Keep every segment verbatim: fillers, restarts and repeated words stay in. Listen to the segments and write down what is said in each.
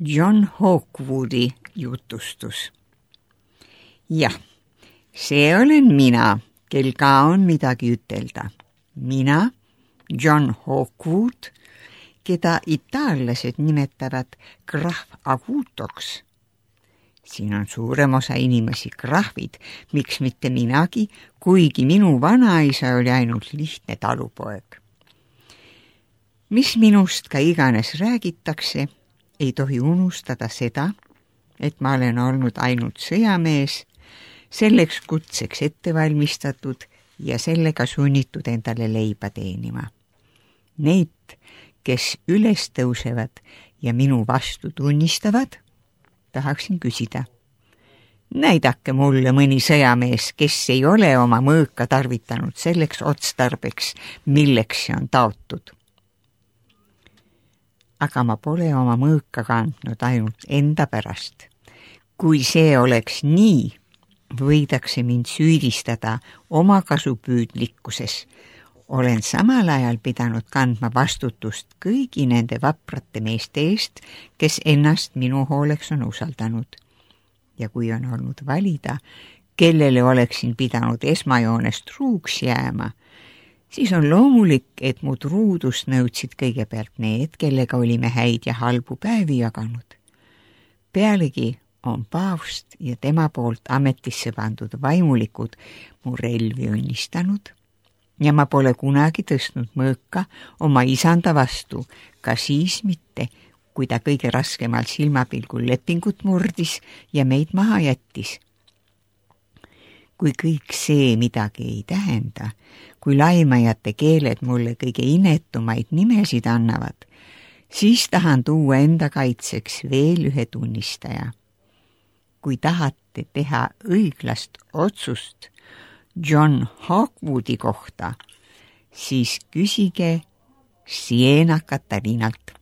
John Hawkwoodi jutustus. Jah, see olen mina, kel ka on midagi ütelda. Mina, John Hawkwood, keda itaallased nimetavad krahv avutoks. Siin on suurem osa inimesi krahvid, miks mitte minagi, kuigi minu vanaisa oli ainult lihtne talupoeg. Mis minust ka iganes räägitakse, ei tohi unustada seda, et ma olen olnud ainult sõjamees, selleks kutseks ette valmistatud ja sellega sunnitud endale leiba teenima. Neid, kes üles tõusevad ja minu vastu tunnistavad, tahaksin küsida. Näidake mulle mõni sõjamees, kes ei ole oma mõõka tarvitanud selleks otstarbeks, milleks see on taotud. Aga ma pole oma mõõka kandnud ainult enda pärast. Kui see oleks nii, võidakse mind süüdistada omakasupüüdlikkuses. Olen samal ajal pidanud kandma vastutust kõigi nende vaprate meeste eest, kes ennast minu hooleks on usaldanud. Ja kui on olnud valida, kellele oleksin pidanud esmajoonest truuks jääma, siis on loomulik, et mu truudust nõudsid kõigepealt need, kellega olime häid ja halbu päevi jaganud. Pealegi on paavst ja tema poolt ametisse pandud vaimulikud mu relvi õnnistanud ja ma pole kunagi tõstnud mõõka oma isanda vastu, ka siis mitte, kui ta kõige raskemal silmapilgul lepingut murdis ja meid maha jättis. Kui kõik see midagi ei tähenda, kui laimajate keeled mulle kõige inetumaid nimesid annavad, siis tahan tuua enda kaitseks veel ühe tunnistaja. Kui tahate teha õiglast otsust John Hawkwoodi kohta, siis küsige Siena Katarinalt.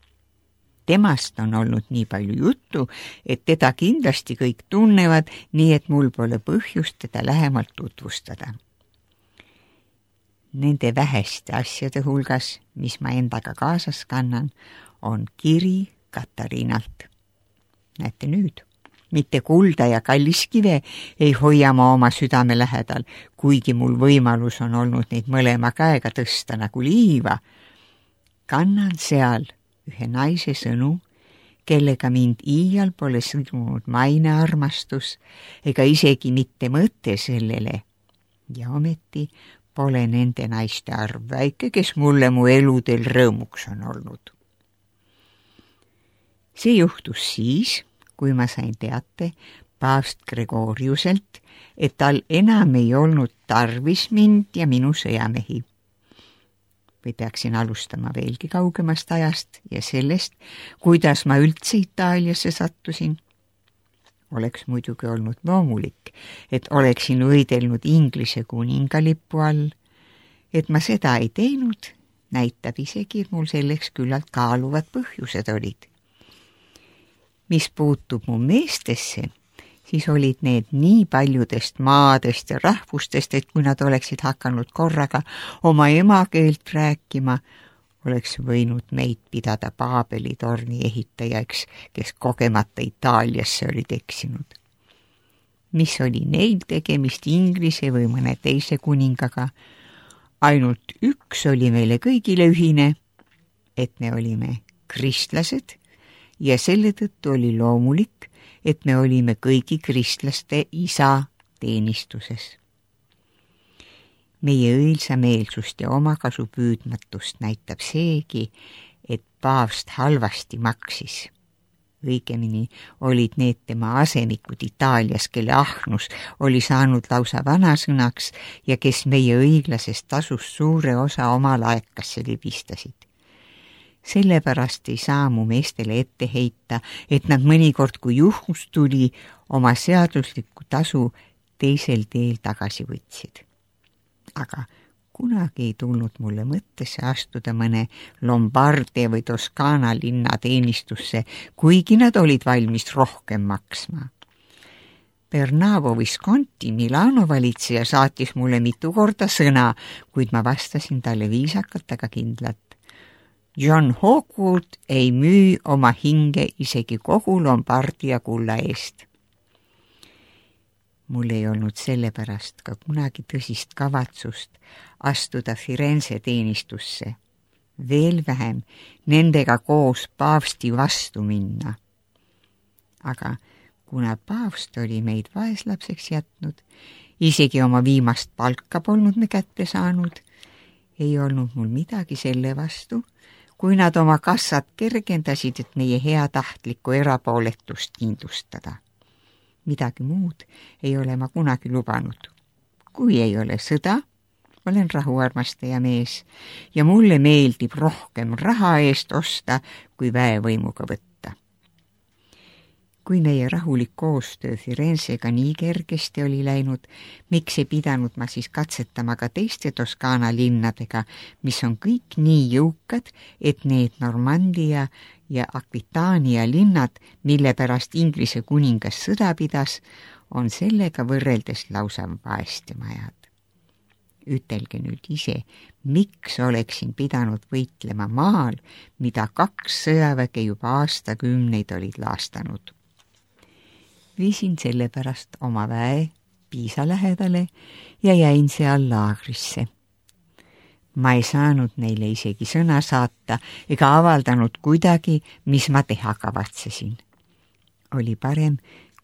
Temast on olnud nii palju juttu, et teda kindlasti kõik tunnevad, nii et mul pole põhjust teda lähemalt tutvustada. Nende väheste asjade hulgas, mis ma endaga kaasas kannan, on kiri Katarinalt. Näete nüüd, mitte kulda ja kalliskive ei hoia ma oma südame lähedal, kuigi mul võimalus on olnud neid mõlema käega tõsta nagu liiva. Kannan seal ühe naise sõnu, kellega mind iial pole sõlmunud mainearmastus ega isegi mitte mõte sellele. Ja ometi pole nende naiste arv väike, kes mulle mu eludel rõõmuks on olnud. See juhtus siis, kui ma sain teate paavst Gregoriuselt, et tal enam ei olnud tarvis mind ja minu sõjamehi. Või peaksin alustama veelgi kaugemast ajast ja sellest, kuidas ma üldse Itaaliasse sattusin. Oleks muidugi olnud loomulik, et oleksin võidelnud Inglise kuningalippu all. Et ma seda ei teinud, näitab isegi, et mul selleks küllalt kaaluvad põhjused olid. Mis puutub mu meestesse, siis olid need nii paljudest maadest ja rahvustest, et kui nad oleksid hakanud korraga oma emakeelt rääkima, oleks võinud meid pidada Paabeli torni ehitajaks, kes kogemata Itaaliasse olid eksinud. Mis oli neil tegemist Inglise või mõne teise kuningaga, ainult üks oli meile kõigile ühine, et me olime kristlased ja selle tõttu oli loomulik, et me olime kõigi kristlaste isa teenistuses. Meie õilsameelsust ja omakasupüüdmatust näitab seegi, et paavst halvasti maksis. Õigemini olid need tema asemikud Itaalias, kelle ahnus oli saanud lausa vanasõnaks ja kes meie õiglasest tasust suure osa oma laekasse libistasid. Sellepärast ei saa mu meestele ette heita, et nad mõnikord, kui juhus tuli, oma seaduslikku tasu teisel teel tagasi võtsid. Aga kunagi ei tulnud mulle mõttesse astuda mõne Lombardia või Toskaana linna teenistusse, kuigi nad olid valmis rohkem maksma. Bernavo Visconti Milano valitseja saatis mulle mitu korda sõna, kuid ma vastasin talle viisakalt, aga kindlalt. John Hawkwood ei müü oma hinge isegi kogu Lombardia kulla eest. Mul ei olnud sellepärast ka kunagi tõsist kavatsust astuda Firenze teenistusse, veel vähem nendega koos paavsti vastu minna. Aga kuna paavst oli meid vaeslapseks jätnud, isegi oma viimast palka polnud me kätte saanud, ei olnud mul midagi selle vastu, kui nad oma kassad kergendasid, et meie heatahtlikku erapooletust kindlustada. Midagi muud ei ole ma kunagi lubanud. Kui ei ole sõda, olen rahuarmastaja mees ja mulle meeldib rohkem raha eest osta, kui väevõimuga võtta. Kui meie rahulik koostöö Firenzega nii kergesti oli läinud, miks ei pidanud ma siis katsetama ka teiste Toskaana linnadega, mis on kõik nii jõukad, et need Normandia ja Aquitania linnad, mille pärast Inglise kuningas sõda pidas, on sellega võrreldes lausa vaestemajad. Ütelge nüüd ise, miks oleksin pidanud võitlema maal, mida kaks sõjaväge juba aastakümneid olid laastanud. Viisin sellepärast oma väe Piisa lähedale ja jäin seal laagrisse. Ma ei saanud neile isegi sõna saata ega avaldanud kuidagi, mis ma teha kavatsesin. Oli parem,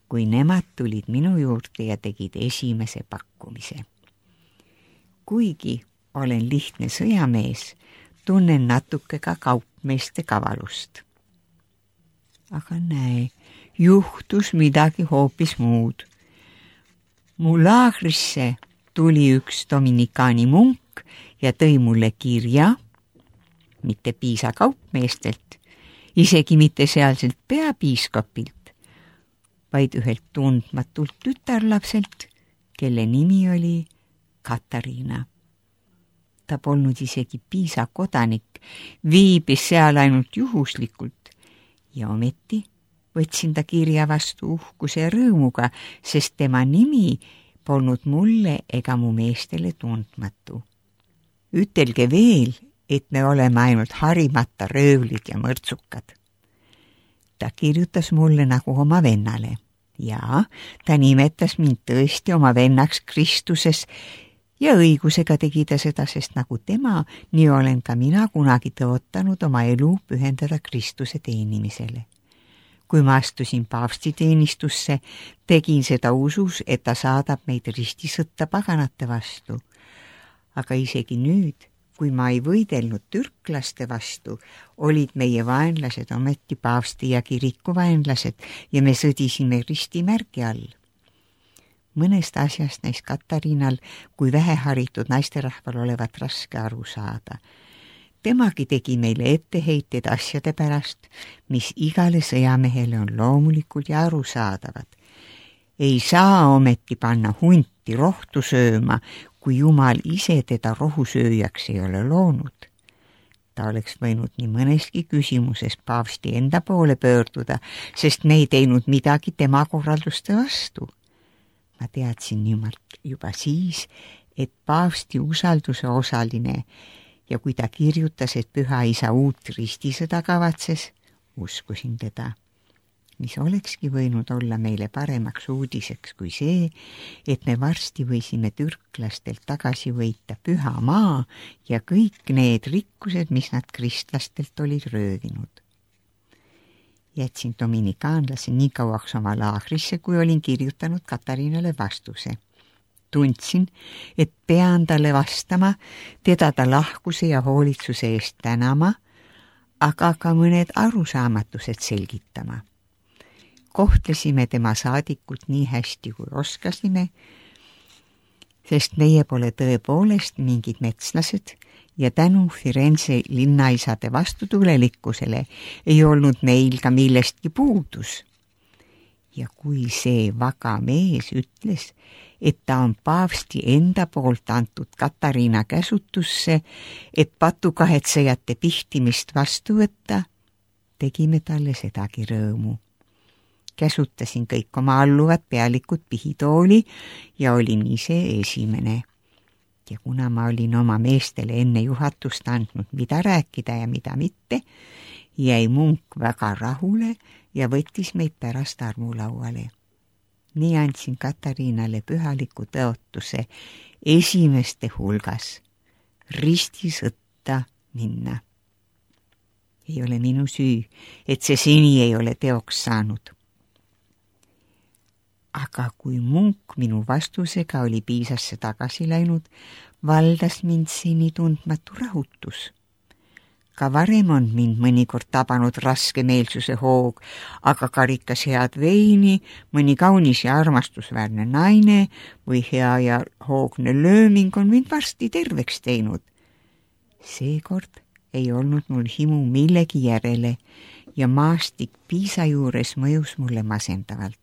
kui nemad tulid minu juurde ja tegid esimese pakkumise. Kuigi olen lihtne sõjamees, tunnen natuke ka kaupmeeste kavalust. Aga näe, juhtus midagi hoopis muud. Mu laagrisse tuli üks dominikaani munk ja tõi mulle kirja, mitte Piisa kaupmeestelt, isegi mitte sealselt peapiiskopilt, vaid ühelt tundmatult tütarlapselt, kelle nimi oli Katariina. Ta polnud isegi Piisa kodanik, viibis seal ainult juhuslikult ja ometi võtsin ta kirja vastu uhkuse ja rõõmuga, sest tema nimi polnud mulle ega mu meestele tundmatu. Ütelge veel, et me oleme ainult harimata röövlid ja mõrtsukad. Ta kirjutas mulle nagu oma vennale ja ta nimetas mind tõesti oma vennaks Kristuses ja õigusega tegi ta seda, sest nagu tema, nii olen ka mina kunagi tõotanud oma elu pühendada Kristuse teenimisele. Kui ma astusin paavsti teenistusse, tegin seda usus, et ta saadab meid ristisõtta paganate vastu. Aga isegi nüüd, kui ma ei võidelnud türklaste vastu, olid meie vaenlased ometi paavsti ja kiriku vaenlased ja me sõdisime ristimärgi all. Mõnest asjast näis Katariinal, kui väheharitud naisterahval olevat raske aru saada. Temagi tegi meile etteheited asjade pärast, mis igale sõjamehele on loomulikud ja arusaadavad. Ei saa ometi panna hunti rohtu sööma, kui Jumal ise teda rohusööjaks ei ole loonud. Ta oleks võinud nii mõneski küsimuses paavsti enda poole pöörduda, sest me ei teinud midagi tema korralduste vastu. Ma teadsin nimelt juba siis, et paavsti usalduse osaline ja kui ta kirjutas, et Püha Isa uut ristisõda kavatses, uskusin teda, mis olekski võinud olla meile paremaks uudiseks kui see, et me varsti võisime türklastelt tagasi võita Püha maa ja kõik need rikkused, mis nad kristlastelt olid röövinud. Jätsin dominikaanlase nii kauaks oma laagrisse, kui olin kirjutanud Katariinale vastuse. Tundsin, et pean talle vastama, teda ta lahkuse ja hoolitsuse eest tänama, aga ka mõned arusaamatused selgitama. Kohtlesime tema saadikut nii hästi, kui oskasime, sest meie pole tõepoolest mingid metslased ja tänu Firenze linnaisade vastutulelikkusele ei olnud meil ka millestki puudus. Ja kui see vaga mees ütles, et ta on paavsti enda poolt antud Katariina käsutusse, et patukahetsejate pihtimist vastu võtta, tegime talle sedagi rõõmu. Käsutasin kõik oma alluvad pealikud pihitooli ja olin ise esimene. ja kuna ma olin oma meestele enne juhatust andnud, mida rääkida ja mida mitte, jäi munk väga rahule ja võttis meid pärast armulauale. Nii andsin Katariinale pühaliku tõotuse esimeste hulgas ristisõtta minna. Ei ole minu süü, et see seni ei ole teoks saanud. Aga kui munk minu vastusega oli piisasse tagasi läinud, valdas mind seni tundmatu rahutus. Ka varem on mind mõnikord tabanud raske meelsuse hoog, aga karikas head veini, mõni kaunis ja armastusväärne naine või hea ja hoogne lööming on mind varsti terveks teinud. Seekord ei olnud mul himu millegi järele ja maastik Piisa juures mõjus mulle masendavalt.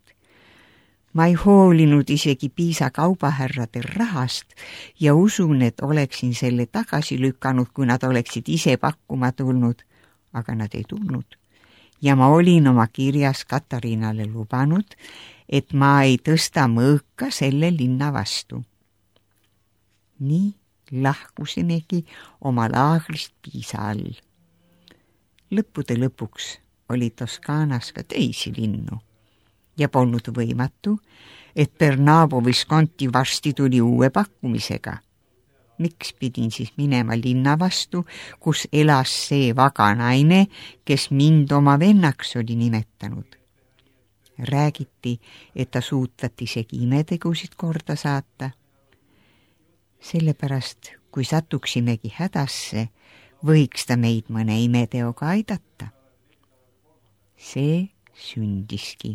Ma ei hoolinud isegi Piisa kaubahärrade rahast ja usun, et oleksin selle tagasi lükanud, kui nad oleksid ise pakkuma tulnud, aga nad ei tulnud. Ja ma olin oma kirjas Katariinale lubanud, et ma ei tõsta mõõka selle linna vastu. Nii lahkusimegi oma laagrist Piisa all. Lõppude lõpuks oli Toskaanas ka teisi linnu. Ja polnud võimatu, et Bernabo Visconti varsti tuli uue pakkumisega. Miks pidin siis minema linna vastu, kus elas see vaga naine, kes mind oma vennaks oli nimetanud? Räägiti, et ta suutvat isegi imetegusid korda saata. Sellepärast, kui satuksimegi hädasse, võiks ta meid mõne imeteoga aidata. See sündiski.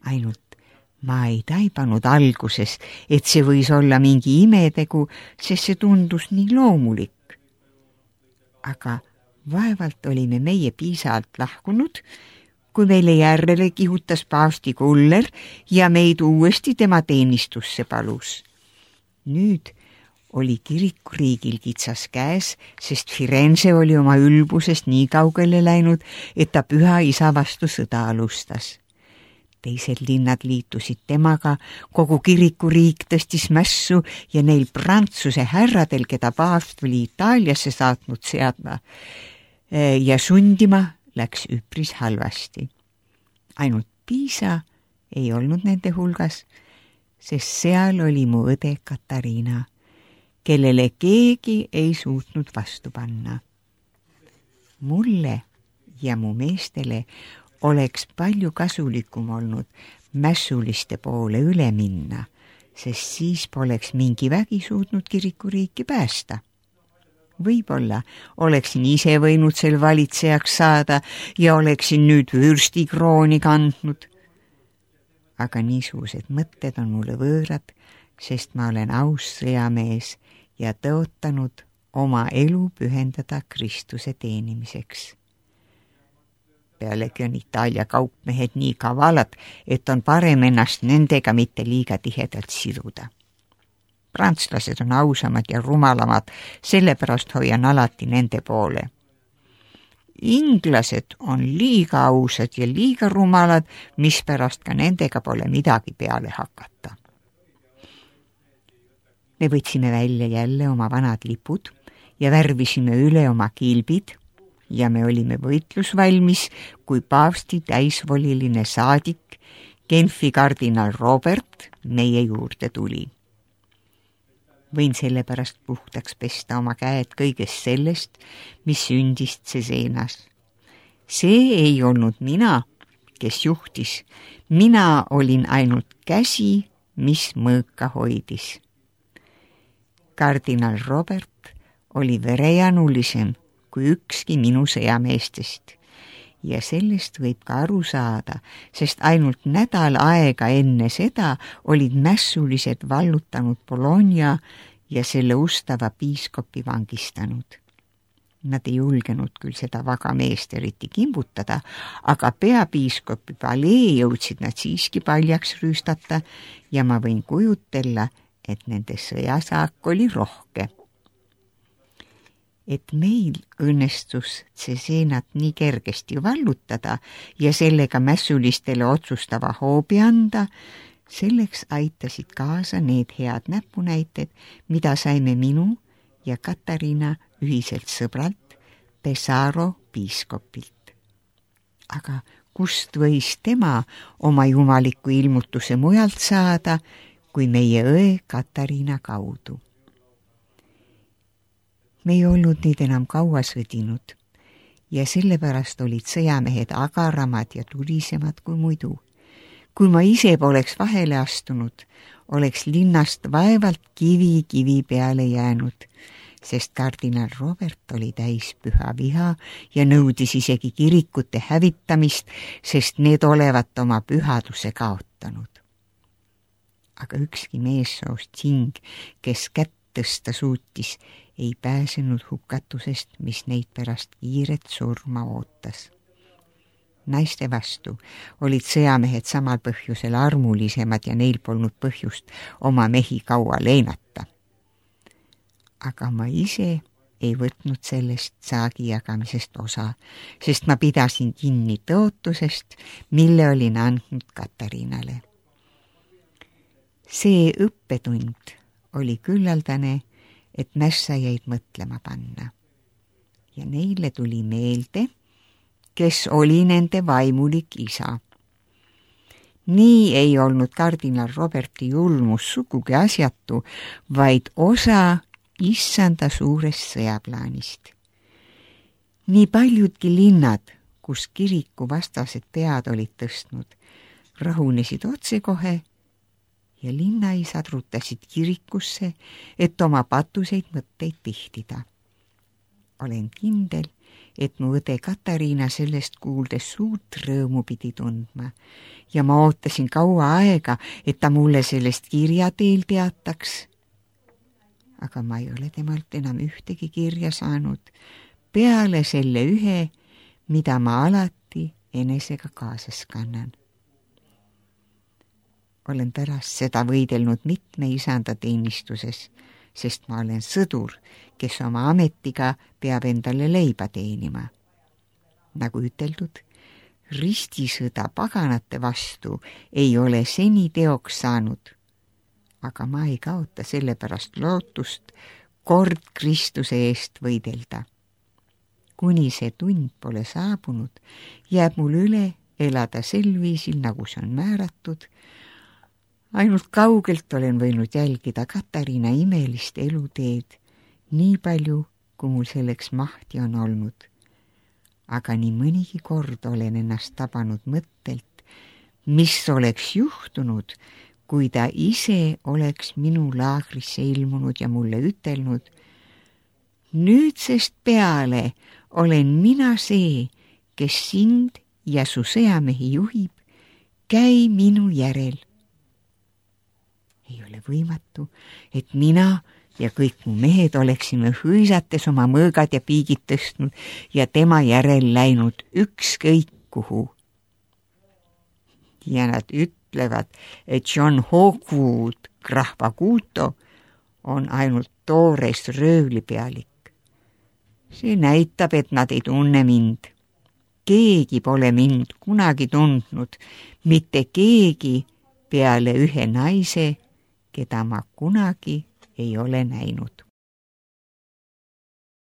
Ainult ma ei taibanud alguses, et see võis olla mingi imetegu, sest see tundus nii loomulik. Aga vaevalt olime meie Piisalt lahkunud, kui meile järele kihutas paavsti kuller ja meid uuesti tema teenistusse palus. Nüüd oli kirikuriigil kitsas käes, sest Firenze oli oma ülbusest nii kaugele läinud, et ta püha isa vastu sõda alustas. Teised linnad liitusid temaga, kogu kirikuriik tõstis mässu ja neil Prantsuse härradel, keda paavst oli Itaaliasse saatnud seadma ja sundima, läks üpris halvasti. Ainult Piisa ei olnud nende hulgas, sest seal oli mu õde Katariina, kellele keegi ei suutnud vastu panna. Mulle ja mu meestele oleks palju kasulikum olnud mässuliste poole üle minna, sest siis poleks mingi vägi suutnud kirikuriiki päästa. Võib-olla oleksin ise võinud sel valitsejaks saada ja oleksin nüüd vürstikrooni kandnud. Aga niisugused mõtted on mulle võõrad, sest ma olen aus sõjamees ja tõotanud oma elu pühendada Kristuse teenimiseks. Pealegi on Itaalia kaupmehed nii kavalad, et on parem ennast nendega mitte liiga tihedalt siduda. Prantslased on ausamad ja rumalamad, sellepärast hoian alati nende poole. Inglased on liiga ausad ja liiga rumalad, mispärast ka nendega pole midagi peale hakata. Me võtsime välja jälle oma vanad lipud ja värvisime üle oma kilbid, ja me olime võitlusvalmis, kui paavsti täisvoliline saadik, Genfi kardinal Robert, meie juurde tuli. Võin sellepärast puhtaks pesta oma käed kõigest sellest, mis sündis Ceseenas. See ei olnud mina, kes juhtis. Mina olin ainult käsi, mis mõõka hoidis. Kardinal Robert oli verejanulisem kui ükski minu sõjameestest. Ja sellest võib ka aru saada, sest ainult nädal aega enne seda olid mässulised vallutanud Bologna ja selle ustava piiskopi vangistanud. Nad ei julgenud küll seda vaga meest eriti kimbutada, aga peapiiskopi palee jõudsid nad siiski paljaks rüüstata ja ma võin kujutella, et nende sõjasaak oli rohke. Et meil õnnestus Ceseenat nii kergesti vallutada ja sellega mässulistele otsustava hoobi anda, Selleks aitasid kaasa need head näpunäited, mida saime minu ja Katariina ühiselt sõbralt Pesaro piiskopilt. Aga kust võis tema oma jumaliku ilmutuse mujalt saada, kui meie õe Katariina kaudu? Me ei olnud neid enam kaua sõdinud ja sellepärast olid sõjamehed agaramad ja tulisemad kui muidu. Kui ma ise poleks vahele astunud, oleks linnast vaevalt kivi kivi peale jäänud, sest kardinal Robert oli täis püha viha ja nõudis isegi kirikute hävitamist, sest need olevat oma pühaduse kaotanud. Aga ükski meessoost hing, kes kätt tõsta suutis, ei pääsenud hukatusest, mis neid pärast kiiret surma ootas. Naiste vastu olid sõjamehed samal põhjusel armulisemad ja neil polnud põhjust oma mehi kaua leenata. Aga ma ise ei võtnud sellest saagi jagamisest osa, sest ma pidasin kinni tõotusest, mille olin andnud Katariinale. See õppetund oli küllaldane, et mässajaid mõtlema panna. Ja neile tuli meelde, kes oli nende vaimulik isa. Nii ei olnud kardinal Roberti julmus sugugi asjatu, vaid osa issanda suurest sõjaplaanist. Nii paljudki linnad, kus kiriku vastased pead olid tõstnud, rahunesid otsekohe ja linnaisad rutasid kirikusse, et oma patuseid mõtteid pihtida. Olen kindel, et mu õde Katariina sellest kuuldes suurt rõõmu pidi tundma ja ma ootasin kaua aega, et ta mulle sellest kirja teel teataks. Aga ma ei ole temalt enam ühtegi kirja saanud, peale selle ühe, mida ma alati enesega kaasas kannan. Olen pärast seda võidelnud mitme isanda teenistuses, sest ma olen sõdur, kes oma ametiga peab endale leiba teenima. Nagu üteldud, ristisõda paganate vastu ei ole seni teoks saanud, aga ma ei kaota sellepärast lootust kord Kristuse eest võidelda. Kuni see tund pole saabunud, jääb mul üle elada sel viisil, nagu see on määratud. Ainult kaugelt olen võinud jälgida Katariina imelist eluteed, nii palju, kui mul selleks mahti on olnud. Aga nii mõnigi kord olen ennast tabanud mõttelt, mis oleks juhtunud, kui ta ise oleks minu laagrisse ilmunud ja mulle ütelnud: nüüdsest peale olen mina see, kes sind ja su sõjamehi juhib, käi minu järel. Ei ole võimatu, et mina ja kõik mu mehed oleksime hõisates oma mõõgad ja piigid tõstnud ja tema järel läinud ükskõik kuhu. Ja nad ütlevad, et John Hawkwood Krahvaguto on ainult toores röövlipealik. See näitab, et nad ei tunne mind. Keegi pole mind kunagi tundnud, mitte keegi peale ühe naise, keda ma kunagi ei ole näinud.